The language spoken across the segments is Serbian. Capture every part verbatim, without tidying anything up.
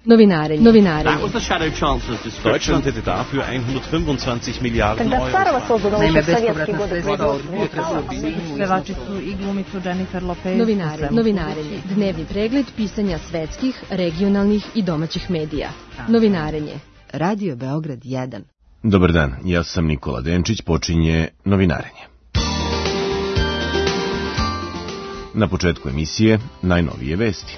Novinarenje. Novinarenje. Deutschland hätte dafür hundertfünfundzwanzig Milliarden Euro. Naime, bespovratna sredstva od pevačicu i glumicu Jennifer Lopez. Novinarenje. Novinarenje. Dnevni pregled pisanja svetskih, regionalnih i domaćih medija. Novinarenje. Radio Beograd jedan. Dobar dan, ja sam Nikola Denčić, počinje Novinarenje. Na početku emisije najnovije vesti.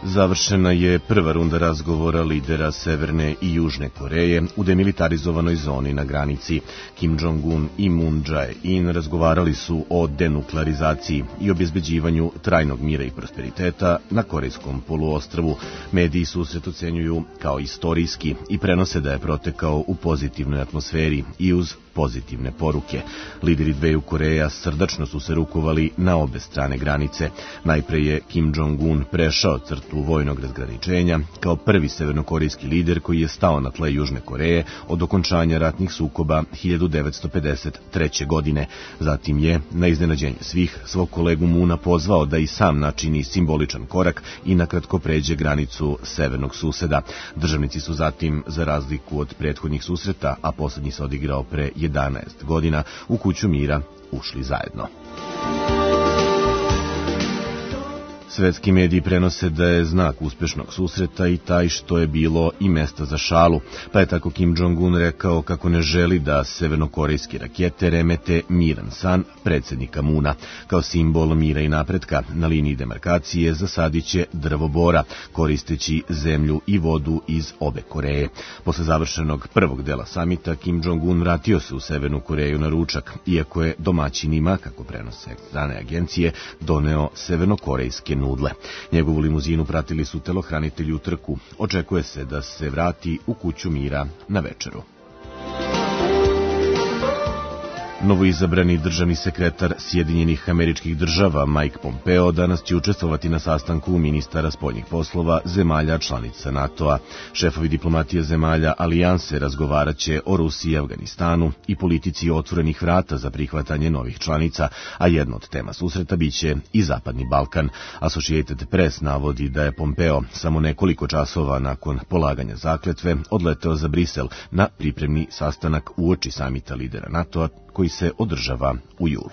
Završena je prva runda razgovora lidera Severne i Južne Koreje u demilitarizovanoj zoni na granici. Kim Jong-un i Moon Jae-in razgovarali su o denuklearizaciji i obezbeđivanju trajnog mira i prosperiteta na Korejskom poluostrvu. Mediji susret ocenjuju kao istorijski i prenose da je protekao u pozitivnoj atmosferi i uz pozitivne poruke. Lideri dveju Koreja srdačno su se rukovali na obe strane granice. Najpre je Kim Jong-un prešao crtu vojnog razgraničenja kao prvi severnokorejski lider koji je stao na tle Južne Koreje od okončanja ratnih sukoba hiljadu devetsto pedeset treće. godine. Zatim je, na iznenađenje svih, svog kolegu Moona pozvao da i sam načini simboličan korak i nakratko pređe granicu severnog suseda. Državnici su zatim, za razliku od prethodnih susreta, a poslednji se odigrao pre jedanaest godina, u kuću mira ušli zajedno. Svetski mediji prenose da je znak uspešnog susreta i taj što je bilo i mesta za šalu, pa je tako Kim Jong-un rekao kako ne želi da severnokorejske rakete remete miran san predsjednika Moona. Kao simbol mira i napretka na liniji demarkacije zasadiće drvo bora, koristeći zemlju i vodu iz obe Koreje. Posle završenog prvog dela samita, Kim Jong-un vratio se u Severnu Koreju na ručak, iako je domaćinima, kako prenose strane agencije, doneo severnokorejske nudle. Njegovu limuzinu pratili su telohranitelji u trku. Očekuje se da se vrati u kuću mira na večeru. Novoizabrani državni sekretar Sjedinjenih Američkih Država Mike Pompeo danas će učestvovati na sastanku ministara spoljnih poslova zemalja članica NATO-a. Šefovi diplomatije zemalja alijanse razgovarat će o Rusiji i Afganistanu i politici otvorenih vrata za prihvatanje novih članica, a jedna od tema susreta biće i Zapadni Balkan. Associated Press navodi da je Pompeo samo nekoliko časova nakon polaganja zakletve odleteo za Brisel na pripremni sastanak uoči samita lidera NATO-a koji se održava u julu.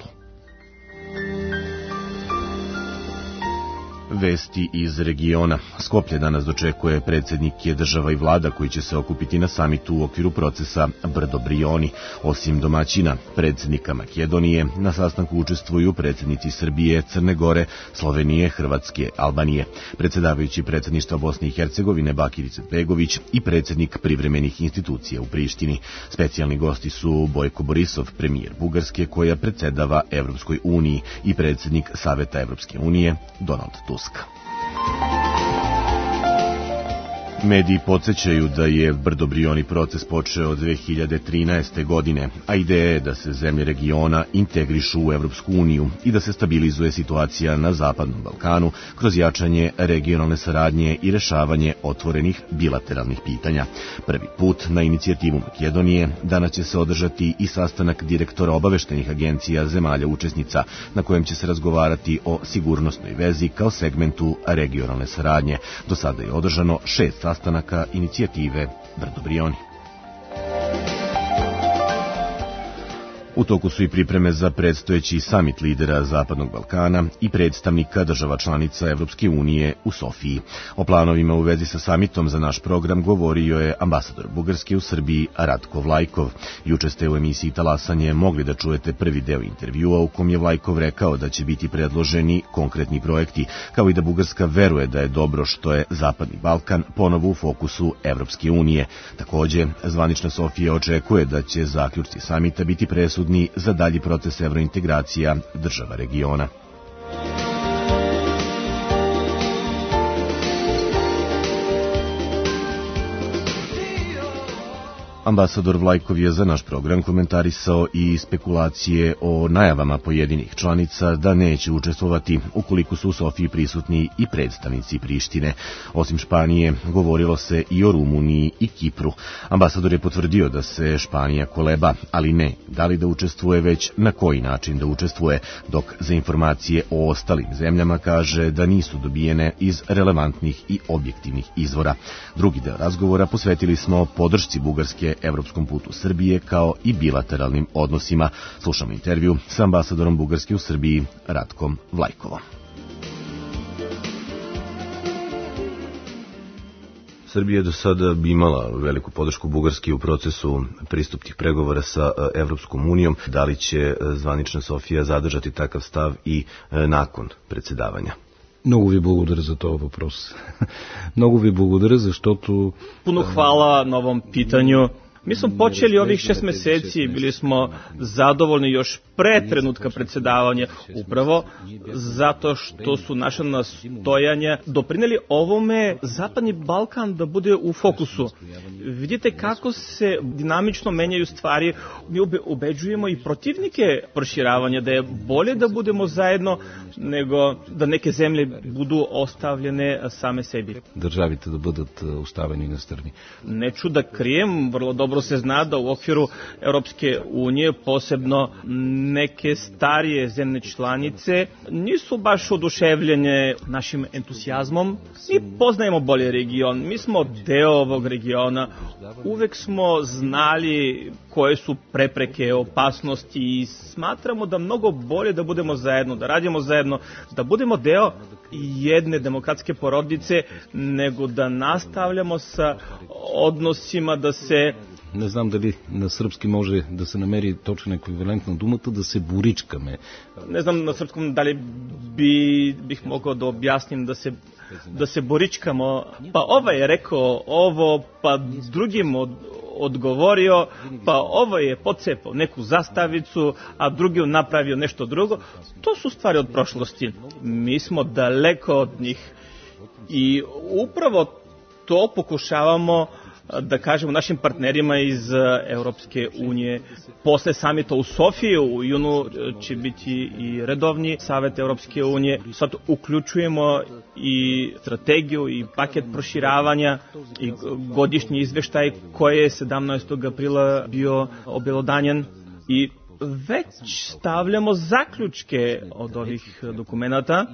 Vesti iz regiona. Skoplje danas dočekuje predsjednike država i vlada koji će se okupiti na samitu u okviru procesa Brdo Brioni. Osim domaćina, predsjednika Makedonije, na sastanku učestvuju predsjednici Srbije, Crne Gore, Slovenije, Hrvatske, Albanije, predsjedavajući predsjedništva Bosne i Hercegovine Bakir Izetbegović i predsjednik privremenih institucija u Prištini. Specijalni gosti su Bojko Borisov, premijer Bugarske koja predsjedava Evropskoj uniji, i predsjednik Saveta Evropske unije Donald Tusk. Mediji podsjećaju da je Brdo Brioni proces počeo dve hiljade trinaeste. godine, a ideja je da se zemlje regiona integrišu u Evropsku uniju i da se stabilizuje situacija na Zapadnom Balkanu kroz jačanje regionalne saradnje i rešavanje otvorenih bilateralnih pitanja. Prvi put na inicijativu Makedonije danas će se održati i sastanak direktora obaveštenih agencija zemalja učesnica, na kojem će se razgovarati o sigurnosnoj vezi kao segmentu regionalne saradnje. Do sada je održano šest sastanaka inicijative Brdo Brioni. U toku su i pripreme za predstojeći samit lidera Zapadnog Balkana i predstavnika država članica Evropske unije u Sofiji. O planovima u vezi sa samitom za naš program govorio je ambasador Bugarske u Srbiji Ratko Vlajkov. Juče ste u emisiji Talasanje mogli da čujete prvi deo intervjua u kom je Vlajkov rekao da će biti predloženi konkretni projekti, kao i da Bugarska veruje da je dobro što je Zapadni Balkan ponovo u fokusu Evropske unije. Takođe, zvanična Sofija očekuje da će zaključci samita biti presudni za dalji proces evrointegracija država regiona. Ambasador Vlajkov je za naš program komentarisao i spekulacije o najavama pojedinih članica da neće učestvovati ukoliko su u Sofiji prisutni i predstavnici Prištine. Osim Španije, govorilo se i o Rumuniji i Kipru. Ambasador je potvrdio da se Španija koleba, ali ne da li da učestvuje, već na koji način da učestvuje, dok za informacije o ostalim zemljama kaže da nisu dobijene iz relevantnih i objektivnih izvora. Drugi deo razgovora posvetili smo podršci Bugarske evropskom putu Srbije kao i bilateralnim odnosima. Slušamo intervju sa ambasadorom Bugarske u Srbiji Ratkom Vlajkovom. Srbija je do sada imala veliku podršku Bugarske u procesu pristupnih pregovora sa Evropskom unijom. Da li će zvanična Sofija zadržati takav stav i nakon председавanja? Много ви благодаря за този въпрос. Много ви благодаря, защото... Puno hvala na ovom pitanju. Mi smo počeli ovih šest meseci, bili smo zadovoljni još pre trenutka predsedavanja, upravo zato što su naša nastojanja doprineli ovome Zapadni Balkan da bude u fokusu. Vidite kako se dinamično menjaju stvari, mi ubeđujemo i protivnike proširavanja da je bolje da budemo zajedno nego da neke zemlje budu ostavljene same sebi. Državite da бъдат ostavljeni na strani. Neću da krijem, vrlo dobro se zna da u okviru Europske unije, posebno neke starije zemlje članice, nisu baš oduševljene našim entuzijazmom. Mi poznajemo bolje region, mi smo deo ovog regiona, uvek smo znali koje su prepreke, opasnosti i smatramo da mnogo bolje da budemo zajedno, da radimo zajedno, da budemo deo jedne demokratske porodice, nego da nastavljamo sa odnosima da se... Не знам дали на сръбски може да се намери точен еквивалент на думата, да се боричкаме. Не знам на сръбском дали би, бих могъл да обясним да се, да се боричкamo. Pa ovaj je rekao ovo, pa drugim od, odgovorio, pa ovaj je pocepao neku zastavicu, a drugi je napravio nešto drugo. To su stvari od prošlosti. Mi smo daleko od njih i upravo to pokušavamo da kažemo našim partnerima iz Europske unije. Posle samita u Sofiji u junu će biti i redovni savet Europske unije. Sad uključujemo i strategiju i paket proširavanja i godišnji izveštaj koji je sedamnaestog aprila bio obelodanjen i već stavljamo zaključke od ovih dokumenata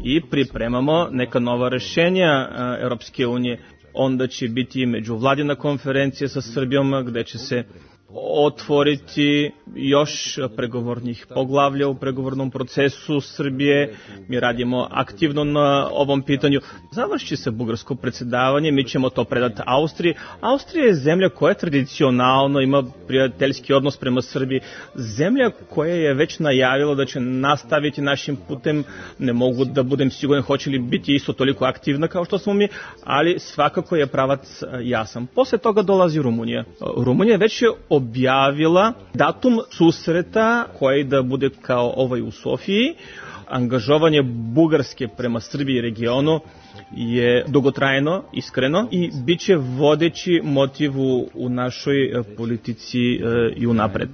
i pripremamo neka nova rešenja Europske unije. Onda će biti međuvladina konferencija sa Srbijom gde će se otvoriti još pregovornih poglavlja u pregovornom procesu Srbije. Mi radimo aktivno na ovom pitanju. Završi se bugarsko predsjedavanje, mi ćemo to predati Austriji. Austrija je zemlja koja tradicionalno ima prijateljski odnos prema Srbiji. Zemlja koja je već najavila da će nastaviti našim putem. Ne mogu da budem siguran hoće li biti isto toliko aktivna kao što smo mi, ali svakako je pravac jasan. Posle toga dolazi Rumunija. Rumunija već je objavila datum susreta koji da bude kao ovaj u Sofiji. Angažovanje Bugarske prema Srbiji i regionu je dugotrajno, iskreno i bit će vodeći motiv u našoj politici i unapred.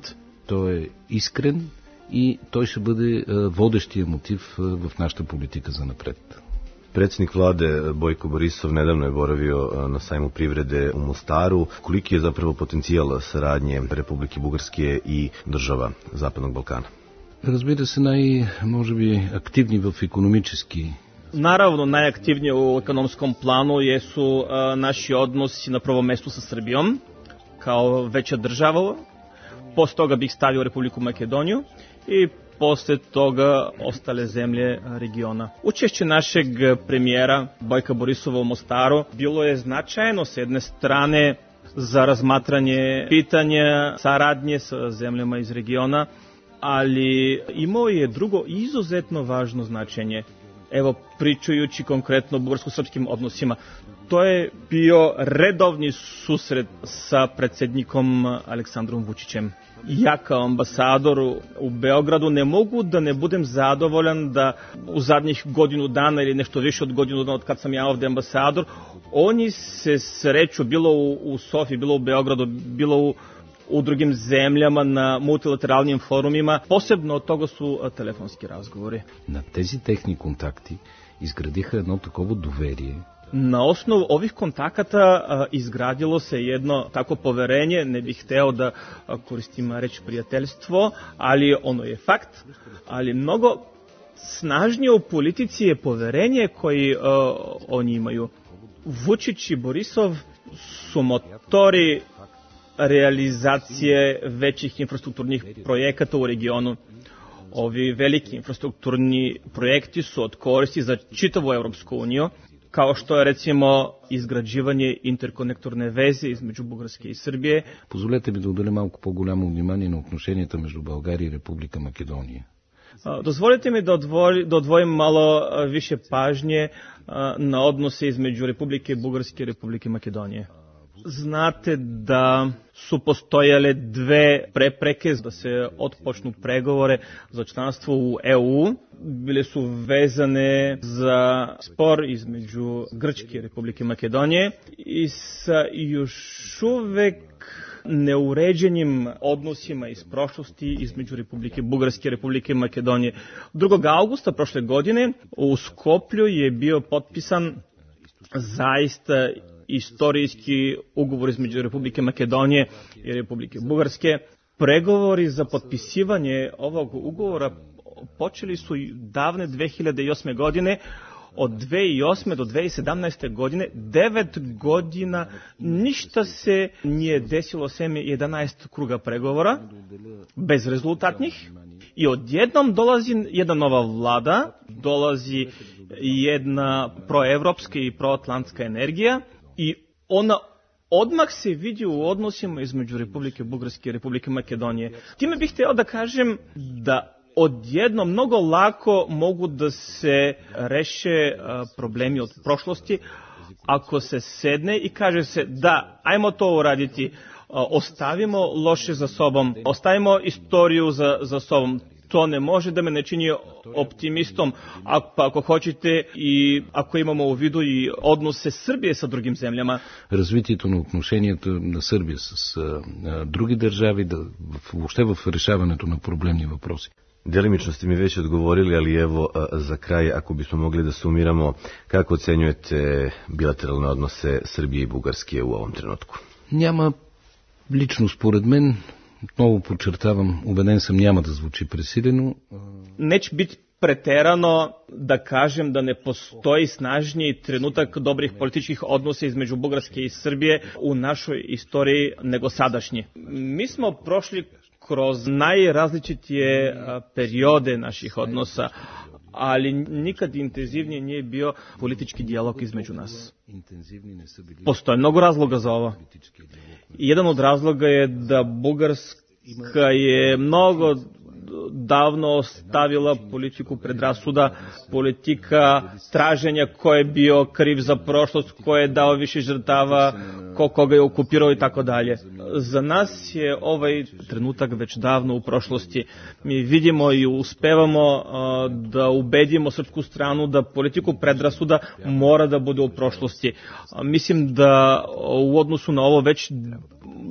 To je iskren i той ще бъде водещия мотив в нашата политика за напред. Predsjednik vlade Bojko Borisov nedavno je boravio na sajmu privrede u Mostaru. Koliki je zapravo potencijal saradnje Republike Bugarske i država Zapadnog Balkana? Разбира се, най, може би, активни в икономически. Naravno, najaktivnije u ekonomskom planu jesu a, naši odnosi na prvom mestu sa Srbijom, kao veća država. Posle toga bih stavio Republiku Makedoniju i posle toga ostale zemlje regiona. Učešće našeg premijera Bojka Borisova u Mostaru bilo je značajno s jedne strane za razmatranje pitanja saradnje sa zemljama iz regiona, ali imao je drugo izuzetno važno značenje. Evo, pričajući konkretno o bugarsko-srpskim odnosima, to je bio redovni susret sa predsjednikom Aleksandrom Vučićem. Ja kao ambasador u Beogradu ne mogu da ne budem zadovoljan da u zadnjih godinu dana ili nešto više od godinu dana od kad sam ja ovde ambasador, oni se sreću bilo u, u Sofiji, bilo u Beogradu, bilo u u drugim zemljama на мултилатералnim форумima, posebno od toga su телефонски разговори. На тези техни контакти изградиха едно такова доверие. Na osnovu ovih kontakata a, izgradilo se jedno tako poverenje, ne bih hteo da a, koristim reč prijateljstvo, ali ono je fakt, ali mnogo snažnije u politici je poverenje koji a, oni imaju. Vučić i Borisov su motori realizacije većih infrastrukturnih projekata u regionu. Ovi veliki infrastrukturni projekti su od koristi za čitavu Evropsku uniju, kao što je recimo изграждане интерконекторne вези измеđu Бугарske и Сърбия. Позволете ми да отделя малко по-голямо внимание на отношенията между България и Република Македония. Dozvolite mi da, odvoj, da odvojim malo više pažnje na odnose između Republike Bugarske i Republike Makedonije. Znate da su postojale dve prepreke da se otpočnu pregovore za članstvo u E U. Bile su vezane za spor između Grčke i Republike Makedonije i sa još uvek neuređenim odnosima iz prošlosti između Republike Bugarske i Republike Makedonije. drugog avgusta prošle godine u Skoplju je bio potpisan zaista istorijski ugovor između Republike Makedonije i Republike Bugarske. Pregovori za potpisivanje ovog ugovora počeli su davne dve hiljade osme godine. Od dve hiljade osme do dve hiljade sedamnaeste godine, devet godina, ništa se nije desilo sem jedanaest kruga pregovora, bezrezultatnih. I odjednom dolazi jedna nova vlada, dolazi jedna proevropska i proatlantska energija i ona odmah se vidi u odnosima između Republike Bugarske i Republike Makedonije. Time bih hteo da kažem da odjedno mnogo lako mogu da se reše problemi od prošlosti ako se sedne i kaže se da, ajmo to uraditi, ostavimo loše za sobom, ostavimo istoriju za, za sobom. To ne može da me ne čini optimistom, ako, pa ako hoćete и ако имamo u vidu и odnose Srbije sa drugim земljama. Развитието на отношенията на Сърбия с а, други държави, да, въобще в решаването на проблемни въпроси. Delimično ste mi već odgovorili, ali evo za kraj, ako bismo mogli da sumiramo, kako ocenjujete bilateralne odnose Srbije i Bugarske u ovom trenutku? Няма, лично според мен, отново подчертавам, убеден съм, няма да звучи пресилено. Neće biti preterano da kažem da ne postoji snažniji trenutak dobrih političkih odnosa između Bugarske i Srbije u našoj istoriji nego sadašnji. Mi smo prošli kroz najrazličitije periode naših odnosa, ali nikad intenzivnije nije bio politički dijalog između nas. Postoje mnogo razloga za ovo. Jedan od razloga je da Bugarska je mnogo davno ostavila politiku predrasuda, politika traženja ko je bio kriv za prošlost, ko je dao više žrtava, ko koga je okupirao i tako dalje. Za nas je ovaj trenutak već davno u prošlosti. Mi vidimo i uspevamo uh, da ubedimo srpsku stranu da politiku predrasuda mora da bude u prošlosti. Uh, mislim da u odnosu na ovo već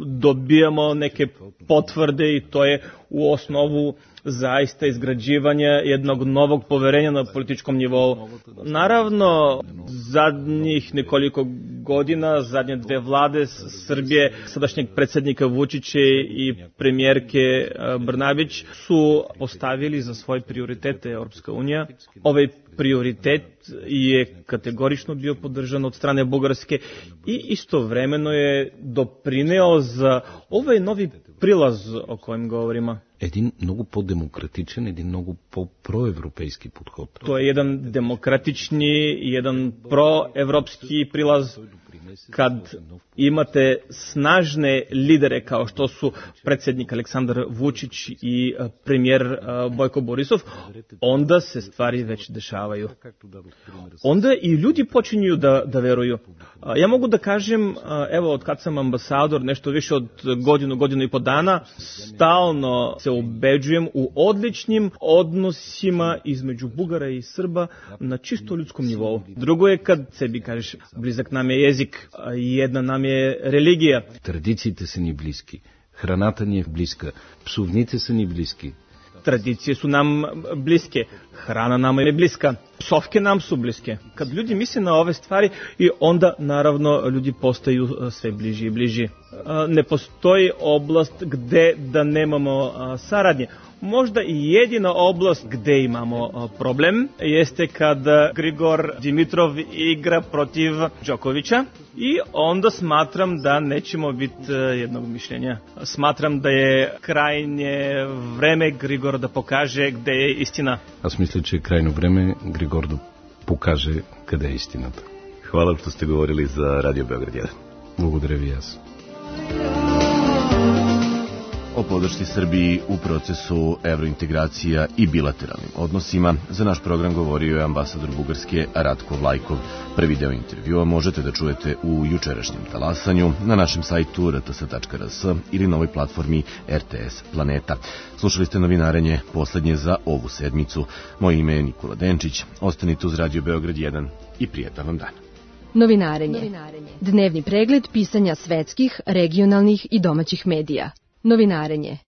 dobijamo neke potvrde i to je u osnovu zaista izgrađivanja jednog novog poverenja na političkom nivou. Naravno, zadnjih nekoliko godina, zadnje dve vlade Srbije, sadašnjeg predsjednika Vučića i premijerke Brnabić su postavili za svoje prioritete Europska unija. Ovaj prioritet je kategorično bio podržan od strane Bugarske i istovremeno je doprineo za ovaj novi prilaz o kojem govorimo. Един много по-демократичен, един много по-проевропейски подход. To je jedan demokratični, jedan proevropski prilaz. kad imate snažne lidere kao što su predsjednik Aleksandar Vučić i premijer Bojko Borisov, onda se stvari već dešavaju. Onda i ljudi počinju da, da veruju. Ja mogu da kažem, evo, od kad sam ambasador, nešto više od godinu, godinu i po dana, stalno se ubeđujem u odličnim odnosima između Bugara i Srba na čisto ljudskom nivou. Drugo je kad sebi kažeš, blizak nam je jezik, jedna nam je religija. Традициите са ни близки, храната ни е близка, псовните са ни близки. Tradicije su nam bliske, hrana nam je bliska, psovke nam su bliske. Kad ljudi misle na ove stvari, i onda naravno ljudi postaju sve bliži i bliži. Ne postoji oblast gde da nemamo saradnje. Možda i jedina oblast gde imamo problem jeste kad Grigor Dimitrov igra protiv Đokovića i onda smatram da nećemo biti jednog mišljenja. Smatram da je krajnje vreme Grigor da pokaže gde je istina. Аз мисля, че е крайно време Григор да покаже къде е истината. Hvala što ste govorili za Radio Beograd jedan. Благодаря ви аз. O podršci Srbiji u procesu evrointegracija i bilateralnim odnosima za naš program govorio je ambasador Bugarske Ratko Vlajkov. Prvi deo intervjua možete da čujete u jučerašnjem talasanju na našem sajtu r t s tačka r s ili na ovoj platformi R T S Planeta. Slušali ste novinarenje poslednje za ovu sedmicu. Moje ime je Nikola Denčić. Ostanite uz Radio Beograd jedan i prijetan vam dan. Novinarenje. Dnevni pregled pisanja svetskih, regionalnih i domaćih medija. Novinarenje.